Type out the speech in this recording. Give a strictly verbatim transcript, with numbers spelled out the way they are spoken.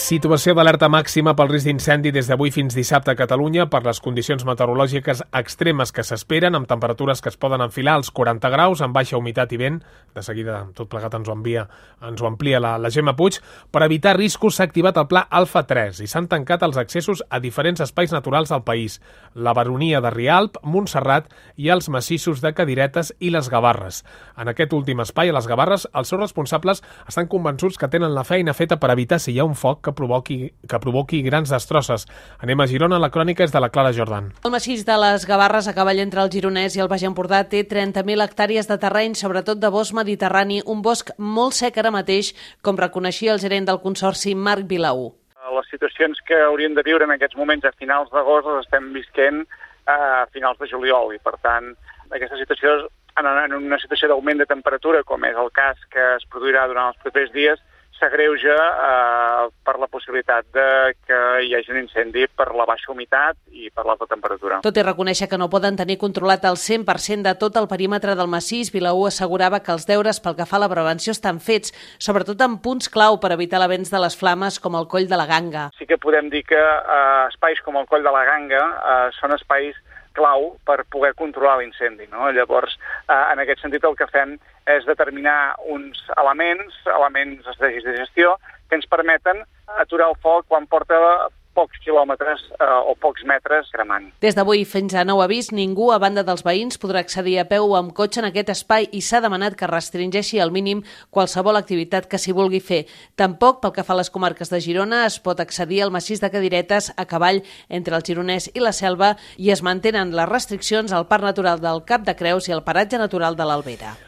Situació d'alerta màxima pel risc d'incendi des d'avui fins dissabte a Catalunya per les condicions meteorològiques extremes que s'esperen, amb temperatures que es poden enfilar als quaranta graus, amb baixa humitat i vent. De seguida, tot plegat ens ho envia, ens ho amplia la, la Gemma Puig. Per evitar riscos s'ha activat el pla Alfa tres i s'han tancat els accessos a diferents espais naturals del país. La Baronia de Rialp, Montserrat i els massissos de Cadiretes i les Gavarres. En aquest últim espai, a les Gavarres, els seus responsables estan convençuts que tenen la feina feta per evitar si hi ha un foc que provoqui, que provoqui grans destrosses. Anem a Girona, la crònica és de la Clara Jordan. El massís de les Gavarres, a cavall entre el Gironès i el Baix Empordà, té trenta mil hectàrees de terreny, sobretot de bosc mediterrani, un bosc molt sec ara mateix, com reconeixia el gerent del Consorci, Marc Vilaú. Les situacions que hauríem de viure en aquests moments a finals d'agost les estem visquent a finals de juliol i, per tant, aquesta situació, en una situació d'augment de temperatura, com és el cas que es produirà durant els propers dies, s'agreuja eh, per la possibilitat de que hi hagi un incendi per la baixa humitat i per l'alta temperatura. Tot i reconèixer que no poden tenir controlat el cent per cent de tot el perímetre del massís, Vilaú assegurava que els deures pel que fa a la prevenció estan fets, sobretot en punts clau per evitar l'avenç de les flames com el Coll de la Ganga. Sí que podem dir que eh, espais com el Coll de la Ganga eh, són espais clau per poder controlar l'incendi, no? Llavors, eh, en aquest sentit, el que fem és determinar uns elements, elements estratègics de gestió, que ens permeten aturar el foc quan porta pocs quilòmetres eh, o pocs metres cremant. Des d'avui fins a nou avís, ningú, a banda dels veïns, podrà accedir a peu o amb cotxe en aquest espai i s'ha demanat que restringeixi al mínim qualsevol activitat que s'hi vulgui fer. Tampoc, pel que fa a les comarques de Girona, es pot accedir al massís de Cadiretes a cavall entre el Gironès i la Selva i es mantenen les restriccions al Parc Natural del Cap de Creus i al Paratge Natural de l'Albera.